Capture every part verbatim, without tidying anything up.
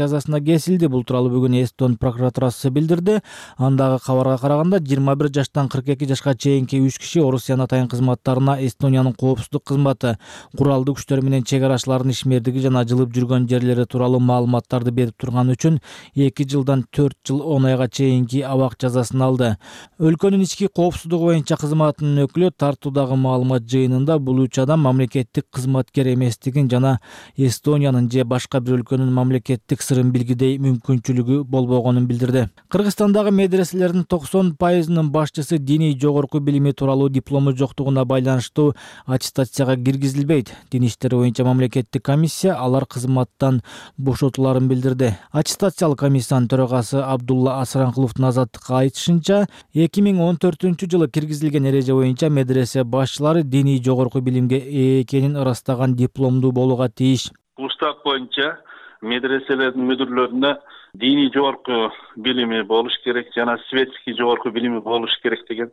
жазасына кесилди. Бул тууралуу бүгүн Эстон прокуратурасы билдирди. Андагы кабарга караганда жыйырма бир жаштан кырк эки жашка чейинки үч киши Орусиянын атайын кызматтарына Эстониянын коопсуздук кызматы, куралдуу күчтөр менен чек арачылардын ишмердиги жана жылып жүргөн жерлери тууралуу маалыматтарды берип турган үчүн эки жылдан төрт жыл он айга чейинки абак жазасын алды. Өлкөнүн ички коопсуздугу боюнча кызматынын өкүлү тартуудагы маалымат жыйынында бул үч адам мамлекеттик кызматкер эместигин жана Эстониянын же башка бир өлкөнүн мамлекеттик сырын билгидей мүмкүнчүлүгү болбогонун билдирди. Кыргызстандагы медреселердин токсон пайызынын башчысы диний жогорку билими тууралуу диплому жоктугуна байланыштуу аттестацияга киргизилбейт. Дин иштери боюнча мамлекеттик комиссия алар кызматтан бошотуларын билдирди. Аттестациялык комиссиянын төрагасы Абдулла Асаранкуловдун Азаттыкка айтышынча, эки миң он төртүнчү жылы киргизилген эреже боюнча медресе башчылары диний жогорку билимге ээ экенин ырастаган дипломдуу болууга тийиш. Устав боюнча медреселердин мүдүрлөрүнө диний жогорку билими болуш керек жана светский жогорку билими болуш керек деген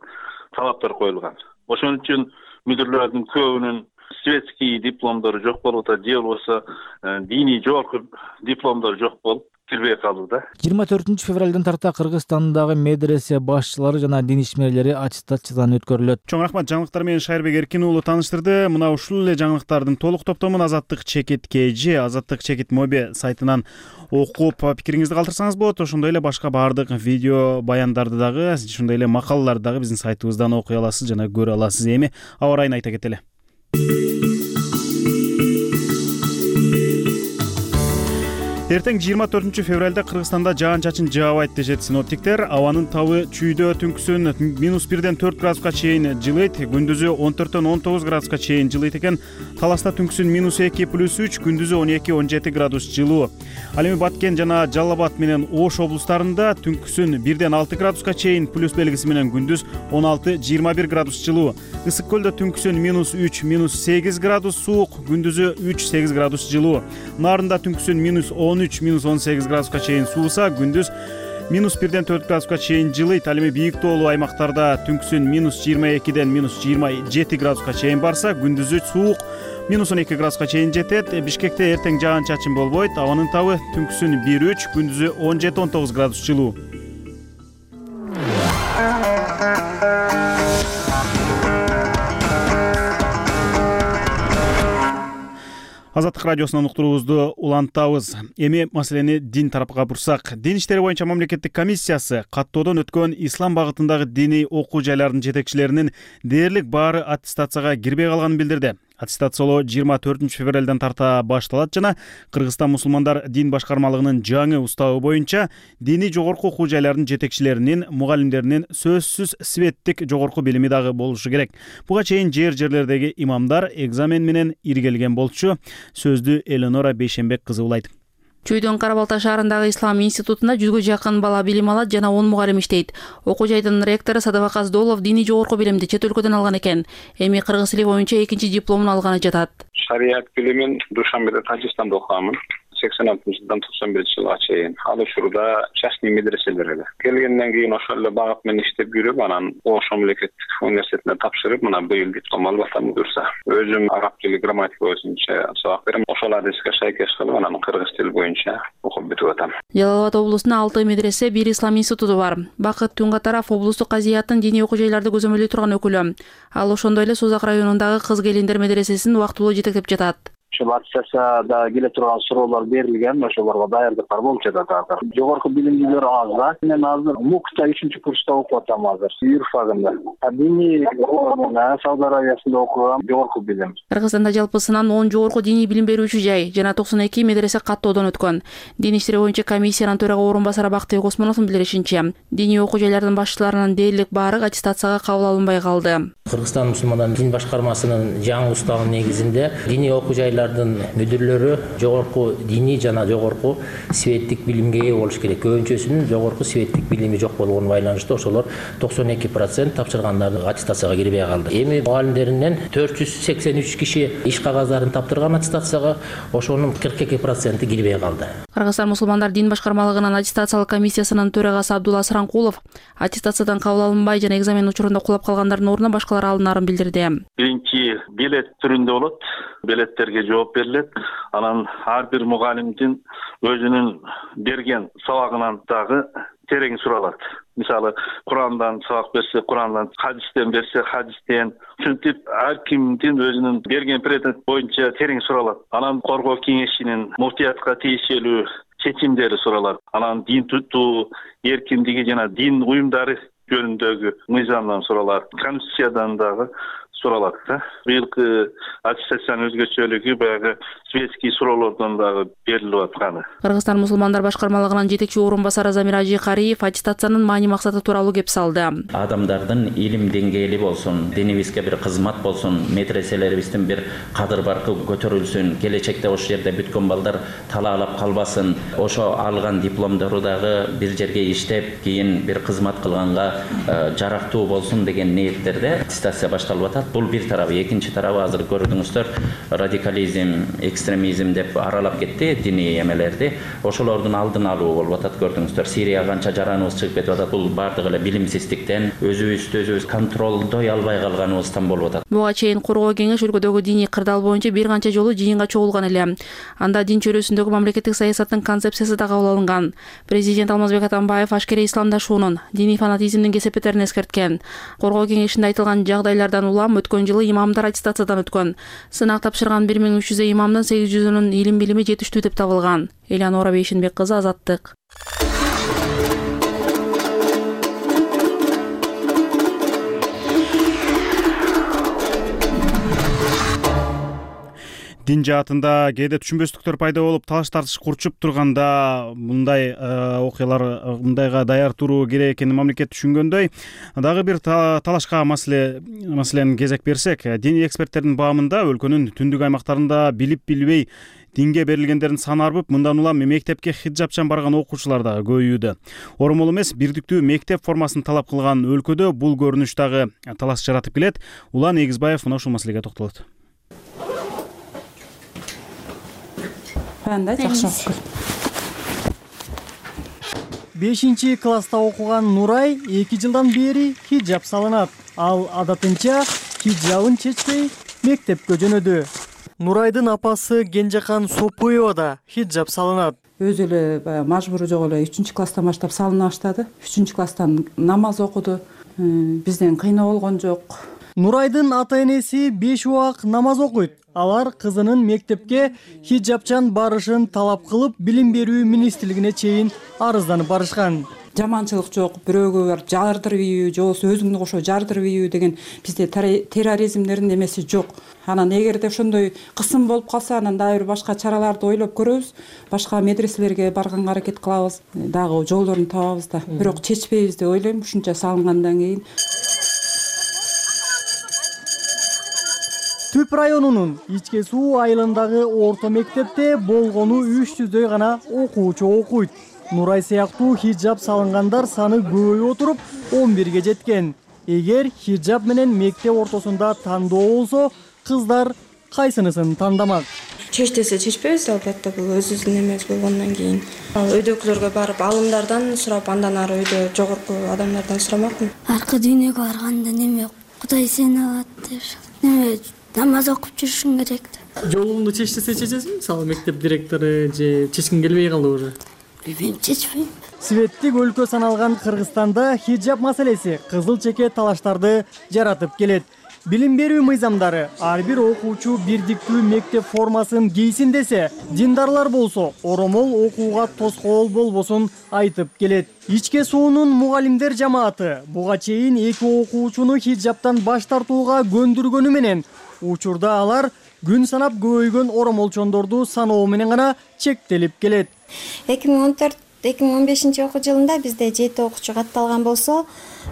талаптар коюлган. Ошон үчүн мүдүрлөрдүн көбүнүн светский дипломдору жок болуп атат, же болбосо диний жогорку дипломдору жок болуп кирбей калууда. жыйырма төртүнчү февралдан тарта Кыргызстандагы медресе башчылары жана дин ишмерлери аттестациядан өткөрүлөт. Чоң рахмат, жаңылыктар менен Шайырбек Эркин уулу тааныштырды. Мына ушул эле жаңылыктардын толук топтомун Азаттык чекит kg, Азаттык чекит моби сайтынан окуп пикириңизди калтырсаңыз болот. Ошондой эле башка баардык видео баяндарды дагы, ошондой эле макалаларды дагы биздин сайтыбыздан окуй аласыз жана көрө аласыз. Эми аба ырайын айта кетели. Эртең жыйырма төртүнчү февралда Кыргызстанда жаан-чачын жаабайт дешет синоптиктер. Абанын табы чүйдө түнкүсүн минус бирден төрт градуска чейин жылыйт, күндүзү он төрттөн он тогуз градуска чейин жылыйт экен. Таласта түнкүсүн минус эки плюс үч, күндүзү он эки он жети градус жылуу. Ал эми Баткен жана Жалал Абад менен Ош облустарында түнкүсүн бирден алты градуска чейин, плюс белгиси менен күндүз он алты жыйырма бир градус жылуу. Ысык көлдө түнкүсүн минус үч минус сегиз градус суук, күндүзү үч сегиз градус жылуу. Нарында түнкүсүн минус он үч минус он сегиз градуска чейин сууса, күндүз минус бирден төрт градуска чейин жылыйт. Ал эми бийик тоолуу аймактарда түнкүсүн минус жыйырма экиден минус жыйырма жети градуска чейин барса, күндүзү суук минус он эки градуска чейин жетет. Бишкекте эртең жаан-чачын болбойт. Абанын табы түнкүсүн бир үч, күндүзү он жети он тогуз градус жылуу. Азаттык радиосунан уктуруубузду улантабыз. Эми маселени дин тарапка бурсак, дин иштери боюнча мамлекеттик комиссиясы каттоодон өткөн ислам багытындагы диний окуу жайлардын жетекчилеринин дээрлик баары аттестацияга кирбей калганын билдирди. Аттестациялоо жыйырма төртүнчү февралдан тарта башталат жана Кыргызстан мусулмандар дин башкармалыгынын жаңы уставы боюнча диний жогорку окуу жайлардын жетекчилеринин, мугалимдеринин сөзсүз светтик жогорку билими дагы болушу керек. Буга чейин жер жерлердеги имамдар экзамен менен иргелген болчу. Сөздү Эленора Бейшенбек кызы улайт. Чүйдөн Кара-Балта шаарындагы Ислам институтунда жүзгө жакын бала билим алат жана он мугалим иштейт. Окуу жайдын ректору Садыбак Аздолов диний жогорку билимди чет өлкөдөн алган экен. Эми кыргыз тили боюнча экинчи дипломун алганы жатат. Шарият билимин Душанбеде, Тажикстанда окугамын. сексен алтынчы жылдан токсон биринчи жылга чейин. Ал учурда частный медреселерде. Келгенден кийин ошол эле багыт менен иштеп жүрүп, анан Ош мамлекеттик университетине тапшырып, мына быйыл диплом алып атам буюрса. Өзүм араб тили грамматика боюнча сабак берем. Ошол адиске шайкеш кылып, анан кыргыз тили боюнча окуп бүтүп атам. Жалал Абад облусунда алты медресе, бир ислам институту бар. Бакыт Тунгатаров облустук казыяттын диний окуу жайларды көзөмөлдөй турган өкүлү. Ал ошондой эле Созак районундагы кыз келиндер медресесин убактылуу жетектеп жатат. Ошол аттестацияда келе турган суроолор берилген, ошолорго даярдыктар болуп жатат азыр. Жогорку билимдүүлөр аз да. Мен азыр МУКта үчүнчү курста окуп атам азыр, юрфагында. Диний Сауд Арабиясында окугам, жогорку билим. Кыргызстанда жалпысынан он жогорку диний билим берүүчү жай жана токсон эки медресе каттоодон өткөн. Дин иштери боюнча комиссиянын төрага орун басары Бактыбек Осмоновдун билдиришинче, диний окуу жайлардын башчыларынын дээрлик баары аттестацияга кабыл алынбай калды. Кыргызстан мусулмандар дин башкармасынын жаңы уставынын негизинде диний окуу жайлардын мүдүрлөрү жогорку диний жана жогорку светтик билимге ээ болуш керек. Көбүнчөсүнүн жогорку светтик билими жок болгонуна байланыштуу ошолор токсон эки процент тапшыргандардын аттестацияга кирбей калды. Эми мугалимдеринен төрт жүз сексен үч киши иш кагаздарын таптырган аттестацияга, ошонун кырк эки проценти кирбей калды. Кыргызстан мусулмандар дин башкармалыгынын аттестациялык комиссиясынын төрагасы Абдулла Асаранкулов аттестациядан кабыл алынбай жана экзамен учурунда кулап калгандардын ордуна башкалар алынарын билдирди. Биринчи билет түрүндө болот. Билеттерге жооп берилет. Анан ар бир мугалимдин өзүнүн берген сабагынан дагы терең суралат. Мисалы, Курандан сабак берсе, Курандан, хадистен берсе, хадистен. Ушинтип ар кимдин өзүнүн берген предмет боюнча терең суралат. Анан коргоо кеңешинин муфтиятка тиешелүү чечимдери суралат. Анан дин тутуу эркиндиги жана дин уюмдары жөнүндөгү мыйзамдан суралат. Конституциядан дагы суралат да. Быйылкы аттестациянын өзгөчөлүгү баягы светский суроолордон дагы берилип атканы. Кыргызстан мусулмандар башкармалыгынын жетекчи орун басары Замир Ажикариев аттестациянын маани максаты тууралуу кеп салды. Адамдардын илим деңгээли болсун, динибизге бир кызмат болсун, медреселерибиздин бир кадыр баркы көтөрүлсүн, келечекте ошол жерде бүткөн балдар талаалап калбасын. Ошо алган дипломдору дагы бир жерге иштеп, кийин бир кызмат кылганга жарактуу болсун деген ниеттерде аттестация башталып атат. Бул бир тарабы. Экинчи тарабы азыр көрдүңүздөр, радикализм, экстремизм деп аралап кетти диний эмелерди. Ошолордун алдын алуу болуп атат, көрдүңүздөр. Сирияга канча жараныбыз чыгып кетип атат. Бул бардыгы эле билимсиздиктен, өзүбүздү өзүбүз контролдой албай калганыбыздан болуп атат. Буга чейин коргоо кеңеш өлкөдөгү диний кырдаал боюнча бир канча жолу жыйынга чогулган эле. Анда дин чөйрөсүндөгү мамлекеттик саясаттын концепциясы да кабыл алынган. Президент Алмазбек Атамбаев ашкерей исламдашуунун, диний фанатизмдин кесепеттерин эскерткен. Коргоо кеңешинде айтылган жагдайлардан улам өткөн жылы имамдар аттестациядан өткөн. Сынак тапшырган бир миң үч жүздөй имамдын сегиз жүзүнүн илим билими жетиштүү деп табылган. Элянора Бейшенбек кызы, Азаттык. Дин жаатында кээде түшүнбөстүктөр пайда болуп, талаш тартыш курчуп турганда мындай окуялар, мындайга даяр туруу керек экенин мамлекет түшүнгөндөй, дагы бир талашка маселе маселени кезек берсек, диний эксперттердин баамында өлкөнүн түндүк аймактарында билип билбей динге берилгендердин саны арбып, мындан улам мектепке хиджабчан барган окуучулар дагы көбөйүүдө. Оромол эмес, бирдиктүү мектеп формасын талап кылган өлкөдө бул көрүнүш дагы талаш жаратып келет. Улан Эгизбаев мына ушул маселеге токтолот. бешинчи класста окуган Нурай эки жылдан бери хиджаб салынат. Ал адатынча хиджабын чечпей мектепке жөнөдү. Нурайдын апасы Кенжекан Сопуева да хиджаб салынат. Өзү эле баягы мажбуру жок эле үчүнчү класстан баштап салына баштады. үчүнчү класстан намаз окуду. Бизден кыйноо болгон жок. Нурайдын ата-энеси беш убак намаз окуйт. Алар кызынын мектепке хиджабчан барышын талап кылып, билим берүү министрлигине чейин арызданып барышкан. Жаманчылык жок, бирөөгө барып жардырып ийүү, же болбосо өзүңдү кошо жардырып ийүү деген бизде терроризмдердин эмеси жок. Анан эгерде ошондой кысым болуп калса, анан дагы бир башка чараларды ойлоп көрөбүз. Башка медреселерге барганга аракет кылабыз, дагы жолдорун табабыз да. Бирок чечпейбиз деп ойлойм, ушунча салынгандан кийин. Түп районунун Ичке Суу айылындагы орто мектепте болгону үч жүздөй гана окуучу окуйт. Нурай сыяктуу хиджаб салынгандар саны көбөйүп отуруп он бирге жеткен. Эгер хиджаб менен мектеп ортосунда тандоо болсо, кыздар кайсынысын тандамак? Чеч десе чечпейбиз, албетте бул өзүбүздүн эмес болгондон кийин. Өйдөгүлөргө барып алымдардан сурап, андан ары өйдө жогорку адамдардан сурамакмын. Аркы дүйнөгө барганда неме Кудай сени алат деп, неме намаз окуп жүрүшүң керек деп. Жолуңду чеч десе чечесиңби? Мисалы мектеп директору же чечкиң келбей калды уже? Мен чечпейм. Светтик өлкө саналган Кыргызстанда хиджаб маселеси кызыл чеке талаштарды жаратып келет. Билим берүү мыйзамдары ар бир окуучу бирдиктүү мектеп формасын кийсин десе, диндарлар болсо оромол окууга тоскоол болбосун айтып келет. Ичке Суунун мугалимдер жамааты буга чейин эки окуучуну хиджабтан баш тартууга көндүргөнү менен учурда алар күн санап көбөйгөн оромолчондорду саноо менен гана чектелип келет. эки миң он төрт эки миң он бешинчи окуу жылында бизде жети окуучу катталган болсо,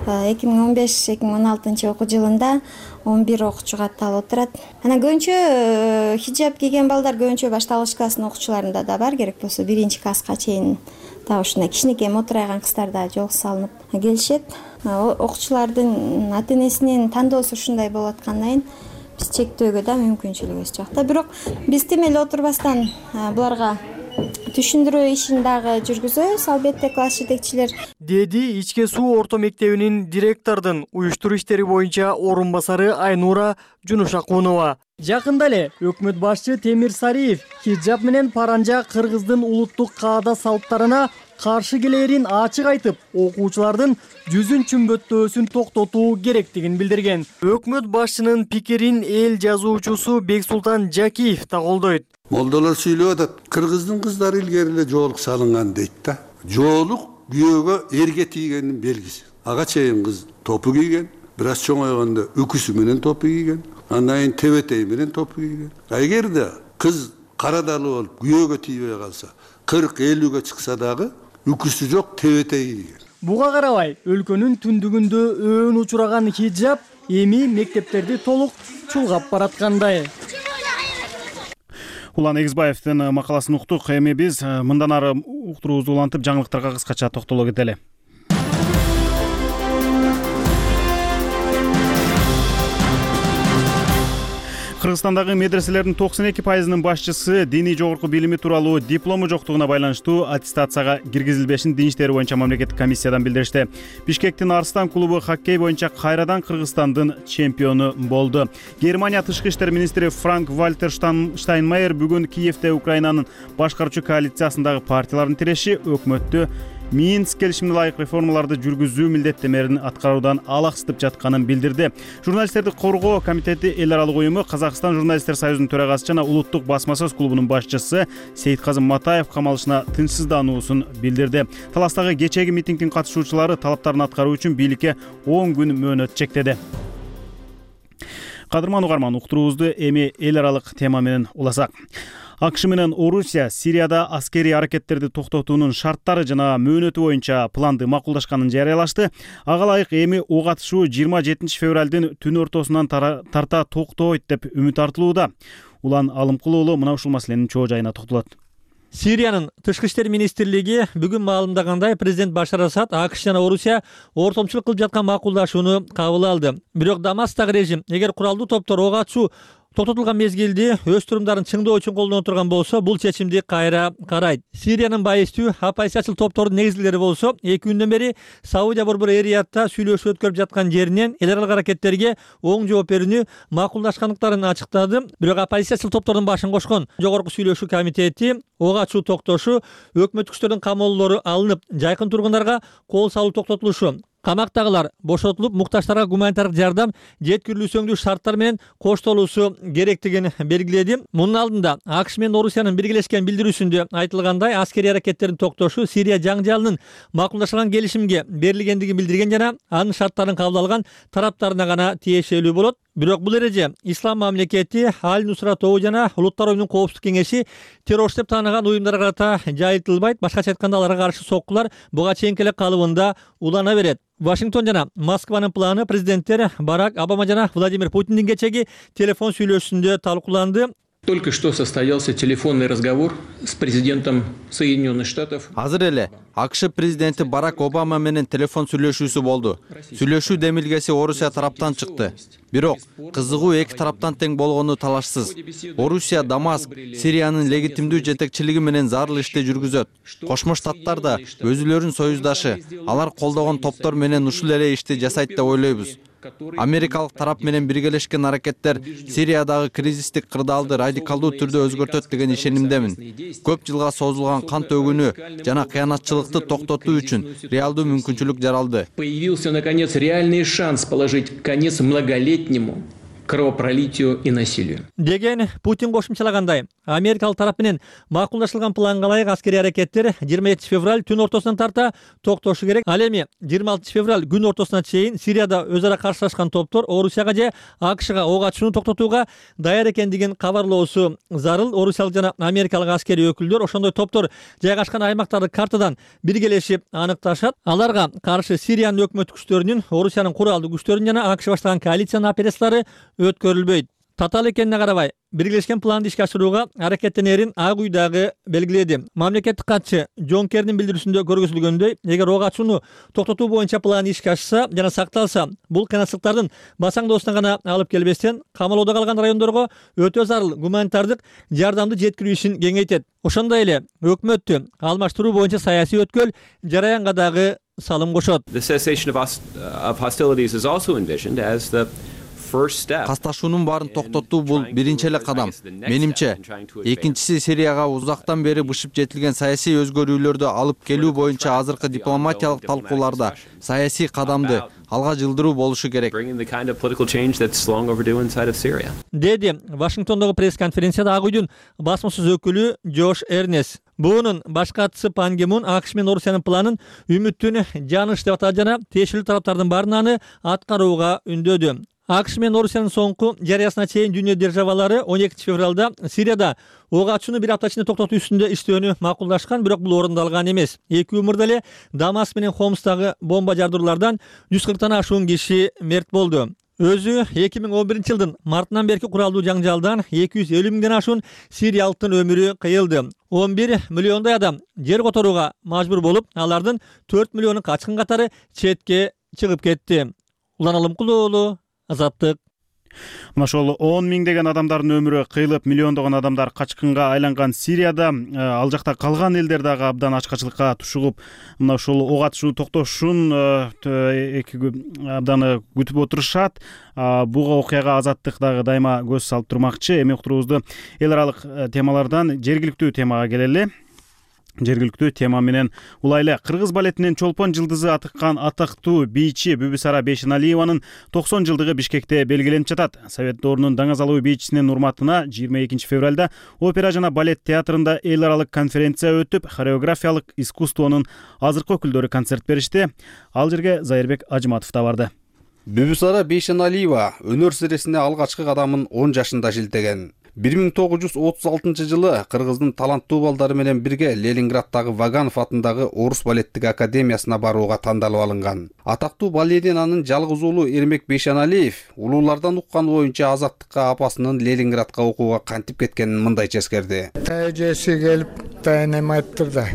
эки миң он беш эки миң он алтынчы окуу жылында он бир окуучу катталып отурат. Анан көбүнчө хиджаб кийген балдар көбүнчө башталгыч класстын окуучуларында да бар, керек болсо биринчи класска чейин дагы ушундай кичинекей мотурайган кыздар да жол салынып келишет. Окуучулардын ата-энесинин тандоосу ушундай болуп аткандан кийин биз чектөөгө да мүмкүнчүлүгүбүз жок да. Бирок биз тим эле отурбастан буларга түшүндүрүү ишин дагы жүргүзөбүз, албетте класс жетекчилер. Деди Ичке Суу орто мектебинин директордун уюштуруу иштери боюнча орун басары Айнура Жунушакунова. Жакында эле өкмөт башчы Темир Сариев хиджаб менен паранжа кыргыздын улуттук каада салттарына каршы келерин ачык айтып, окуучулардын жүзүн чүмбөттөөсүн токтотуу керектигин билдирген. Өкмөт башчынын пикирин эл жазуучусу Бексултан Жакиев да колдойт. Молдолор сүйлөп атат, кыргыздын кыздары илгери эле жоолук салынган дейт да. Жоолук күйөөгө эрге тийгендин белгиси. Ага чейин кыз топу кийген, бир аз чоңойгондо үкүсү менен топу кийген, андан кийин тебетеи менен топу кийген. Эгерде кыз карадалы болуп күйөөгө тийбей калса, кырк элүүгө чыкса дагы үкүсү жок, тебетеи кийген. Буга карабай, өлкөнүн түндүгүндө өөн учураган хиджаб эми мектептерди толук чулгап бараткандай. Улан Эгизбаевдин макаласын уктук. Эми биз мындан ары уктуруубузду улантып, жаңылыктарга кыскача токтоло кетели. Кыргызстандагы медреселердин токсон эки пайызынын башчысы диний жогорку билими тууралуу диплому жоктугуна байланыштуу аттестацияга киргизилбешин Дин иштери боюнча мамлекеттик комиссиядан билдиришти. Бишкектин Арстан клубу хоккей боюнча кайрадан Кыргызстандын чемпиону болду. Германия тышкы иштер министри Франк Вальтер Штайнмайер бүгүн Киевде Украинанын башкаруучу коалициясындагы партиялардын тиреши өкмөттү Минск келишимине ылайык реформаларды жүргүзүү милдеттемелерин аткаруудан алаксытып жатканын билдирди. Журналисттерди коргоо комитети эл аралык уюму Казакстан журналисттер союзунун төрагасы жана улуттук басма-сөз клубунун башчысы Сейитказым Матаев камалышына тынчсыздануусун билдирди. Таластагы кечээги митингдин катышуучулары талаптарын аткаруу үчүн бийликке он күн мөөнөт чектеди. Кадырман угарман, уктуруубузду эми эл аралык тема менен уласак. АКШ менен Орусия Сирияда аскерий аракеттерди токтотуунун шарттары жана мөөнөтү боюнча планды макулдашканын жарыялашты. Ага ылайык эми ок атышуу жыйырма жетинчи февралдын түн ортосунан тарта токтойт деп үмүт артылууда. Улан Алымкул уулу мына ушул маселенин чоо жайына токтолот. Сириянын тышкы иштер министрлиги бүгүн маалымдагандай, президент Башар Асад АКШ жана Орусия ортомчулук кылып жаткан макулдашууну кабыл алды. Бирок Дамасктагы режим эгер куралдуу топтор ок атышуу токтотулган мезгилди өз турумдарын чыңдоо үчүн колдоно турган болсо, бул чечимди кайра карайт. Сириянын байыстуу оппозициячыл топтордун негизгилери болсо, эки күндөн бери Саудия борбору Эриятта сүйлөшүү өткөрүп жаткан жеринен эл аралык аракеттерге оң жооп берүүнү макулдашкандыктарын ачыктады. Бирок оппозициячыл топтордун башын кошкон жогорку сүйлөшүү комитети ок атышуу токтошу, өкмөттүк күчтөрдүн камоолору алынып, жайкын тургундарга кол салуу токтотулушу, камактагылар бошотулуп, муктаждарга гуманитардык жардам жеткирилүүсүңдүү шарттар менен коштолуусу керектигин белгиледи. Мунун алдында АКШ менен Орусиянын биргелешкен билдирүүсүндө айтылгандай, аскерий аракеттердин токтошу Сирия жаңжалынын макулдашылган келишимге берилгендигин билдирген жана анын шарттарын кабыл алган тараптарына гана тиешелүү болот. Бирок бул эреже Ислам мамлекети, Аль-Нусра тобу жана Улуттар оюнунун коопсуздук кеңеши террорчу деп тааныган уюмдарга карата жайылтылбайт. Башкача айтканда, аларга каршы соккулар буга чейинки эле калыбында улана берет. Вашингтон жана Москванын планы президенттер Барак Обама жана Владимир Путиндин кечеги телефон сүйлөшүүсүндө талкууланды. Только что состоялся телефонный разговор с президентом Соединенных Штатов. Азыр эле АКШ президенти Барак Обама менен телефон сүйлөшүүсү болду. Сүйлөшүү демилгеси Орусия тараптан чыкты. Бирок кызыгуу эки тараптан тең болгону талашсыз. Орусия Дамаск Сириянын легитимдүү жетекчилиги менен зарыл ишти жүргүзөт. Кошмо Штаттар да өзүлөрүнүн союздашы, алар колдогон топтор менен ушул эле ишти жасайт деп ойлойбуз. Америкалык тарап менен биргелешкен аракеттер Сириядагы кризистик кырдаалды радикалдуу түрдө өзгөртөт деген ишенимдемин. Көп жылга созулган кан төгүүнү жана кыянатчылыкты токтотуу үчүн реалдуу мүмкүнчүлүк жаралды. Появился наконец реальный шанс положить конец многолетнему кровопролитию и насилию. Деген Путин кошумчалагандай, америкалык тарап менен макулдашылган планга ылайык аскерий аракеттер жыйырма жетинчи февраль түн ортосунан тарта токтошу керек. Ал эми жыйырма алтынчы февраль күн ортосуна чейин Сирияда өз ара каршылашкан топтор Орусияга же АКШга ок атышууну токтотууга даяр экендигин кабарлоосу зарыл. Орусиялык жана америкалык аскерий өкүлдөр ошондой топтор жайгашкан аймактарды картадан биргелешип аныкташат. Аларга каршы Сириянын өкмөт күчтөрүнүн, Орусиянын куралдуу күчтөрүнүн жана АКШ баштаган коалициянын операциялары өткөрүлбөйт. Татаал экенине карабай, биргелешкен планды ишке ашырууга аракеттенерин Ак үй дагы белгиледи. Мамлекеттик катчы Джон Керринин билдирүүсүндө көргөзүлгөндөй, эгер ок атышууну токтотуу боюнча план ишке ашса жана сакталса, бул кыйынчылыктардын басаңдоосуна гана алып келбестен, камалоодо калган райондорго өтө зарыл гуманитардык жардамды жеткирүү ишин кеңейтет. Ошондой эле өкмөттү алмаштыруу боюнча саясий өткөл жараянга дагы салым кошот. The cessation of hostilities is also envisioned as the Касташуунун баарын токтотуу бул биринчи эле кадам. Менимче, экинчиси Сирияга узактан бери бышып жетилген саясий өзгөрүүлөрдү алып келүү боюнча азыркы дипломатиялык талкууларда саясий кадамды алга жылдыруу болушу керек. Деди Вашингтондогу пресс-конференцияда Ак үйдүн басмасөз өкүлү Джош Эрнес. Буунун баш катчысы Пан Ги Мун АКШ менен Орусиянын планын үмүттүн жааныш деп атады жана тиешелүү тараптардын баарына аткарууга үндөдү. АКШ менен Орусиянын соңку жарыясына чейин дүйнө державалары он экинчи февралда Сирияда ок ачууну бир апта ичинде токтотуу үстүндө иштөөнү макулдашкан, бирок бул орундалган эмес. Эки өмүрдө эле Дамаск менен Хомстагы бомба жардыруулардан жүз кырктан ашуун киши мерт болду. Өзү эки миң он биринчи жылдын мартынан берки куралдуу жаңжалдан эки жүз элүү миңден ашуун сириялыктын өмүрү кыйылды. он бир миллиондой адам жер которууга мажбур болуп, алардын төрт миллиону качкын катары четке чыгып кетти. Улан Алымкулуу уулу, Азаттык. Мына ошол он миңдеген адамдардын өмүрү кыйылып, миллиондогон адамдар качкынга айланган Сирияда ал жакта калган элдер дагы абдан ачкачылыкка тушугуп, мына ошол ок атышуу токтошун абдан күтүп отурушат. Буга окуяга Азаттык дагы дайыма көз салып турмакчы. Эми уктуруубузду эл аралык темалардан жергиликтүү темага келели. Жергиликтүү тема менен улайлы. Кыргыз балетинин чолпон жылдызы атыккан атактуу бийчи Бүбүсара Бейшеналиеванын токсон жылдыгы Бишкекте белгиленип жатат. Совет доорунун даңазалуу бийчисинин урматына жыйырма экинчи февралда опера жана балет театрында эл аралык конференция өтүп, хореографиялык искусствонун азыркы өкүлдөрү концерт беришти. Ал жерге Зайырбек Ажыматов да барды. Бүбүсара Бейшеналиева өнөр сиресине алгачкы кадамын он жашында шилтеген. бир миң тогуз жүз отуз алтынчы жылы Кыргыздын таланттуу балдары менен бирге Ленинграддагы Ваганов атындагы Орус балеттик академиясына барууга тандалып алынган. Атактуу балеринанын жалгыз уулу Эрмек Бейшеналиев улуулардан уккан боюнча Азаттыкка апасынын Ленинградка окууга кантип кеткенин мындайча эскерди. Тажеси келип тайнем айттыр да.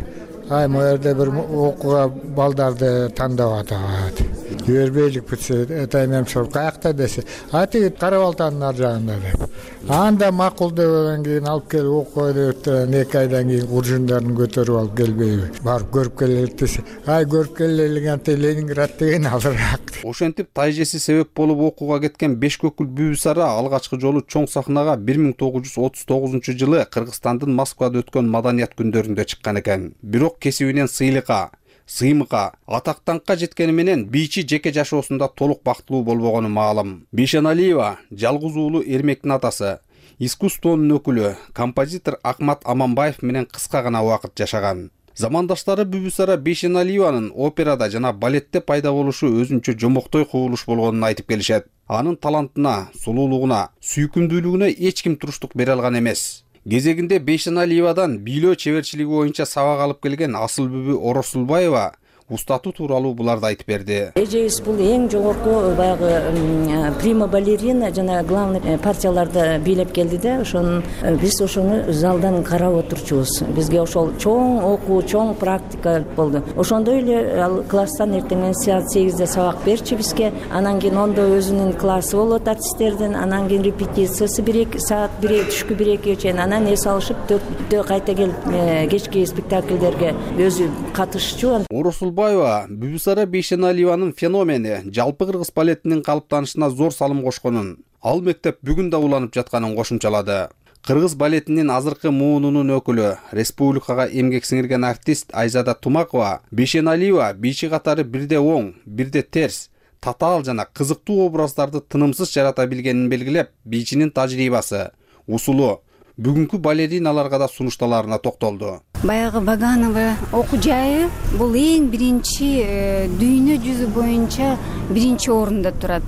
Ай, могу жерде бир окууга балдарды тандап атат. Жибербейлик бүтсө, тайнем сурап, каякта десе, а тиги Карабалтанын ар жагында деп. Анда макул дегенден кийин алып келип окуй деп, эки айдан кийин куржундарын көтөрүп алып келбейби? Барып көрүп келелик десе, ай көрүп келелик, анте Ленинград деген алыраак. Ошентип тайжеси себеп болуп окууга кеткен Бешкөкүл Бүбүсара алгачкы жолу чоң сахнага бир миң тогуз жүз отуз тогузунчу жылы Кыргызстандын Москвада өткөн маданият күндөрүндө чыккан экен. Бирок кесибинен сыйлыкка, сыймыкка, атактанкка жеткени менен бийчи жеке жашоосунда толук бактылуу болбогону маалым. Бейшеналиева жалгыз уулу Эрмектин атасы, искусствонун өкүлү, композитор Акмат Аманбаев менен кыска гана убакыт жашаган. Замандаштары Бүбүсара Бейшеналиеванын операда жана балетте пайда болушу өзүнчө жомоктой кубулуш болгонун айтып келишет. Анын талантына, сулуулугуна, сүйкүмдүүлүгүнө эч ким туруштук бере алган эмес. Кезегинде Бейшеналиевадан бийлөө чеберчилиги боюнча сабак алып келген Асылбүбү Оросулбаева устатуу тууралуу буларды айтып берди. Эжебиз бул эң жогорку баягы прима балерина жана главный партияларды бийлеп келди да, ошону биз ошону залдан карап отурчубуз. Бизге ошол чоң окуу, чоң практика болду. Ошондой эле ал класстан эртең саат сегизде сабак берчи бизге. Анан кийин ондо өзүнүн классы болот артисттердин, анан кийин репетициясы бир эки саат, бир түшкү бир экиге чейин, анан эс алышып төрттө кайта келип кечки спектакльдерге өзү катышчу. Оросулбаева Бүбүсара Бейшеналиеванын феномени жалпы кыргыз балетинин калыптанышына зор салым кошконун, ал мектеп бүгүн да уланып жатканын кошумчалады. Кыргыз балетинин азыркы муунунун өкүлү, республикага эмгек сиңирген артист Айзада Тумакова Бейшеналиева бийчи катары бирде оң, бирде терс, татаал жана кызыктуу образдарды тынымсыз жарата билгенин белгилеп, бийчинин тажрыйбасы, усулу бүгүнкү балериналарга да сунушталарына токтолду. Баягы Ваганова окуу жайы бул эң биринчи дүйнө жүзү боюнча биринчи орунда турат.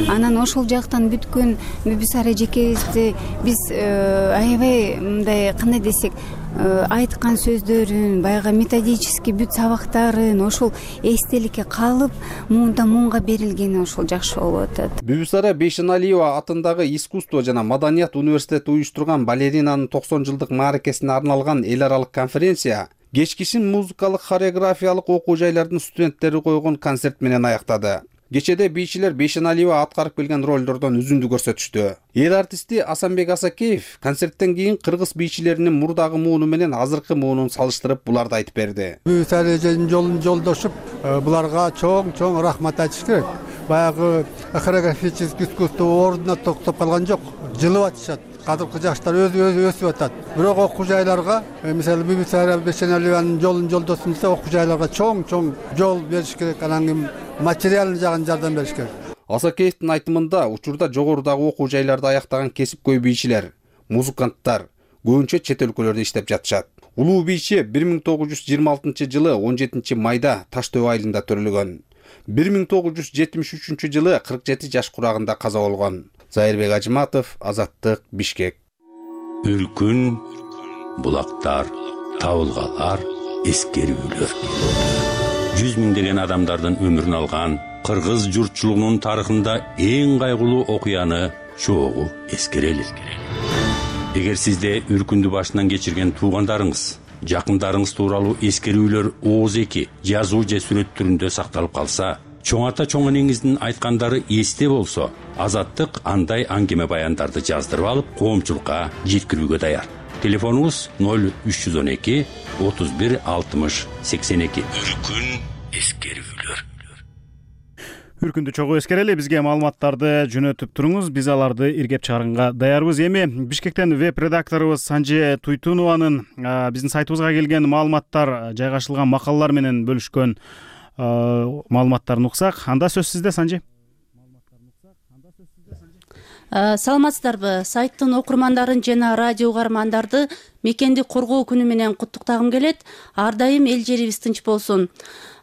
Анан ошол жактан бүткөн Бүбүсара эжекебизди биз аябай мындай кандай десек айткан сөздөрүн, баягы методический бүт сабактарын ошол эстеликке калып, муунда муунга берилгени ошол жакшы болуп атат. Бүбүсара Бейшеналиева атындагы искусство жана маданият университети уюштурган балеринанын токсон жылдык мааракесине арналган эл аралык конференция кечкисин музыкалык хореографиялык окуу жайлардын студенттери койгон концерт менен аяктады. Кечеде бийчилер Бейшеналиева аткарып келген ролдордон үзүндү көрсөтүштү. Эл артисти Асанбек Асакеев концерттен кийин кыргыз бийчилеринин мурдагы мууну менен азыркы муунун салыштырып буларды айтып берди. Бүбүсара эженин жолун жолдошуп, буларга чоң-чоң рахмат айтыш керек. баягы хореографический искусство ордуна токтоп калган жок, жылып атышат. Кадыркы жаштар өзү өзү өсүп атат. Бирок окуу жайларга, мисалы Бибисара Бешеналиянын жолун жолдосун десе, окуу жайларга чоң-чоң жол бериш керек, анан кийин материалдык жагын жардам бериш керек. Асакеевдин айтымында учурда жогорудагы окуу жайларды аяктаган кесипкөй бийчилер, музыканттар көбүнчө чет өлкөлөрдө иштеп жатышат. Улуу бийчи бир миң тогуз жүз жыйырма алтынчы жылы он жетинчи майда Таш Төбө айылында төрөлгөн. бир миң тогуз жүз жетимиш үчүнчү жылы кырк жети жаш курагында каза болгон. Зайырбек Ажыматов, Азаттык, Бишкек. Үркүн, булактар, табылгалар, эскерүүлөр. Жүз миңдеген адамдардын өмүрүн алган кыргыз журтчулугунун тарыхында эң кайгылуу окуяны чогуу эскерели. Эгер сизде үркүндү башынан кечирген туугандарыңыз, жакындарыңыз тууралуу эскерүүлөр ооз эки жазуу же сүрөт түрүндө сакталып калса, чоң ата чоң энеңиздин айткандары эсте болсо, Азаттык андай аңгеме баяндарды жаздырып алып, коомчулукка жеткирүүгө даяр. Телефонуңуз ноль үч жүз он эки отуз бир алтымыш сексен эки. Үркүн, эскерүүлөр. Үркүндү чогуу эскерели, бизге маалыматтарды жөнөтүп туруңуз, биз аларды иргеп чыгарганга даярбыз. Эми Бишкектен веб редакторубуз Санже Туйтунованын биздин сайтыбызга келген маалыматтар, жайгашылган макалалар менен бөлүшкөн маалыматтарын уксак. Анда сөз сизде, Санже. Саламатсыздарбы? Сайттын окурмандарын жана радио угармандарды мекенди коргоо күнү менен куттуктагым келет. Ар дайым эл жерибиз тынч болсун.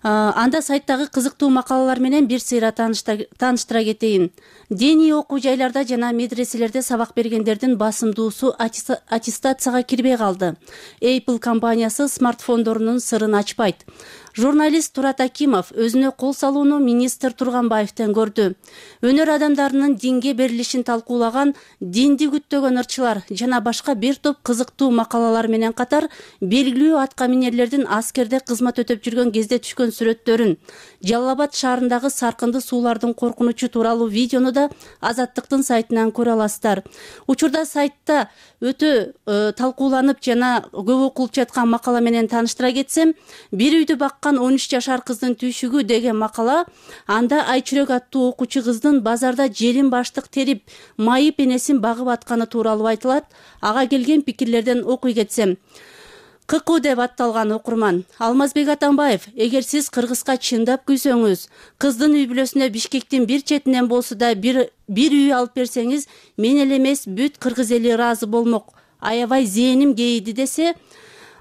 Анда сайттагы кызыктуу макалалар менен бир сыйра тааныштыра кетейин. Диний окуу жайларда жана медреселерде сабак бергендердин басымдуусу аттестацияга кирбей калды. Apple компаниясы смартфондорунун сырын ачпайт. Журналист Турат Акимов өзүнө кол салууну министр Турганбаевден көрдү. Өнөр адамдарынын динге берилишин талкуулаган динди күттөгөн ырчылар жана башка бир топ кызыктуу макалалар менен катар белгилүү аткаминерлердин аскерде кызмат өтөп жүргөн кезде түшкөн сүрөттөрүн, Жалал Абад шаарындагы саркынды суулардын коркунучу тууралуу видеону да Азаттыктын сайтынан көрө аласыздар. Учурда сайтта өтө э, талкууланып жана көп окулуп жаткан макала менен тааныштыра кетсем, бир үйдү баккан он үч жашар кыздын түйшүгү деген макала. Анда Айчүрөк аттуу окуучу кыздын базарда желин баштык терип, майып энесин багып атканы тууралуу айтылат. Ага келген пикирлерден окуй кетсем. Кыку деп атталган окурман. Алмазбек Атамбаев, эгер сиз кыргызга чындап күйсөңүз, кыздын үй бүлөсүнө Бишкектин бир четинен болсо да бир бир үй алып берсеңиз, мен эле эмес бүт кыргыз эли ыраазы болмок. Аябай зээним кейиди десе,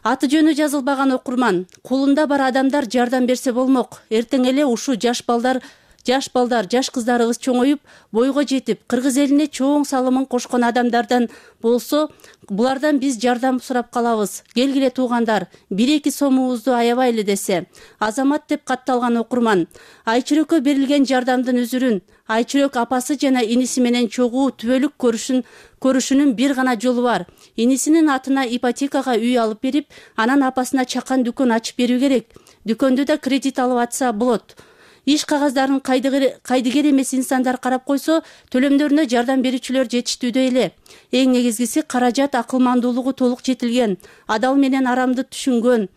аты жөнү жазылбаган окурман. Колунда бар адамдар жардам берсе болмок. Эртең эле ушу жаш балдар Жаш балдар, жаш кыздарыбыз чоңоюп, бойго жетип, кыргыз элине чоң салымын кошкон адамдардан болсо, булардан биз жардам сурап калабыз. Келгиле туугандар, бир-эки сомубузду аябайлы десе. Азамат деп катталган окурман. Айчүрөккө берилген жардамдын үзүрүн, Айчүрөк апасы жана иниси менен чогуу түбөлүк көрүшүн көрүшүнүн бир гана жолу бар. Инисинин атына ипотекага үй алып берип, анан апасына чакан дүкөн ачып берүү керек. Дүкөндө да кредит алып атса болот. Иш кагаздарын кайдыгер эмес инсандар карап койсо, төлөмдөрүнө жардам берүүчүлөр жетиштүүдө эле. Эң негизгиси каражат акылмандуулугу толук жетилген, адал менен арамды түшүнгөн,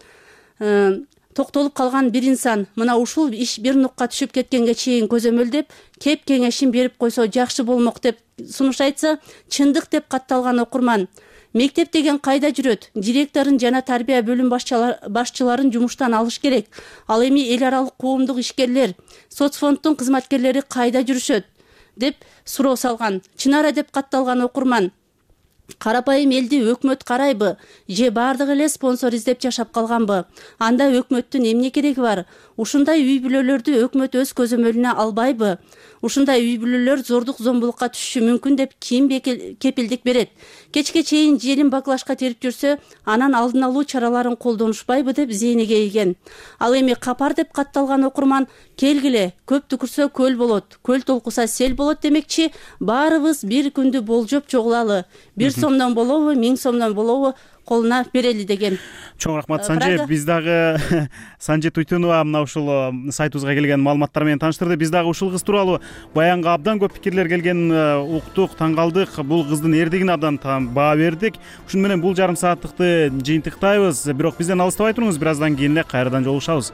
токтолуп калган бир инсан мына ушул иш бир нукка түшүп кеткенге чейин көзөмөлдөп, кеп кеңешин берип койсо жакшы болмок деп сунуш айтса, чындык деп катталган окурман. Мектеп деген кайда жүрөт? Директорун жана тарбия бөлүм башчыларын жумуштан алыш керек. Ал эми эл аралык коомдук ишкерлер, соцфонддун кызматкерлери кайда жүрүшөт? Деп суроо салган. Чынара деп катталган окурман. Карапайым элди өкмөт карайбы? Же бардыгы эле спонсор издеп жашап калганбы? Анда өкмөттүн эмне кереги бар? Ушундай үй бүлөлөрдү өкмөт өз көзөмөлүнө албайбы? Ушундай үй бүлөлөр зордук зомбулукка түшүшү мүмкүн деп ким кепилдик берет? Кечке чейин желин баклашка терип жүрсө, анан алдын алуу чараларын колдонушпайбы деп зээни кейиген. Ал эми капар деп катталган окурман, келгиле, көп түкүрсө көл болот, көл толкуса сел болот демекчи, баарыбыз бир күндү болжоп чогулалы. Бир сомдон болобу, миң сомдон болобу, колуна берели деген. Чоң рахмат, Санже. Биз дагы Санже Туйтунова мына ушул сайтыбызга келген маалыматтар менен тааныштырды. Биз дагы ушул кыз тууралуу баянга абдан көп пикирлер келген уктук, таң калдык. Бул кыздын эрдигине абдан баа бердик. Ушун менен бул жарым сааттыкты жыйынтыктайбыз. Бирок бизден алыстабай туруңуз, бир аздан кийин эле кайрадан жолугушабыз.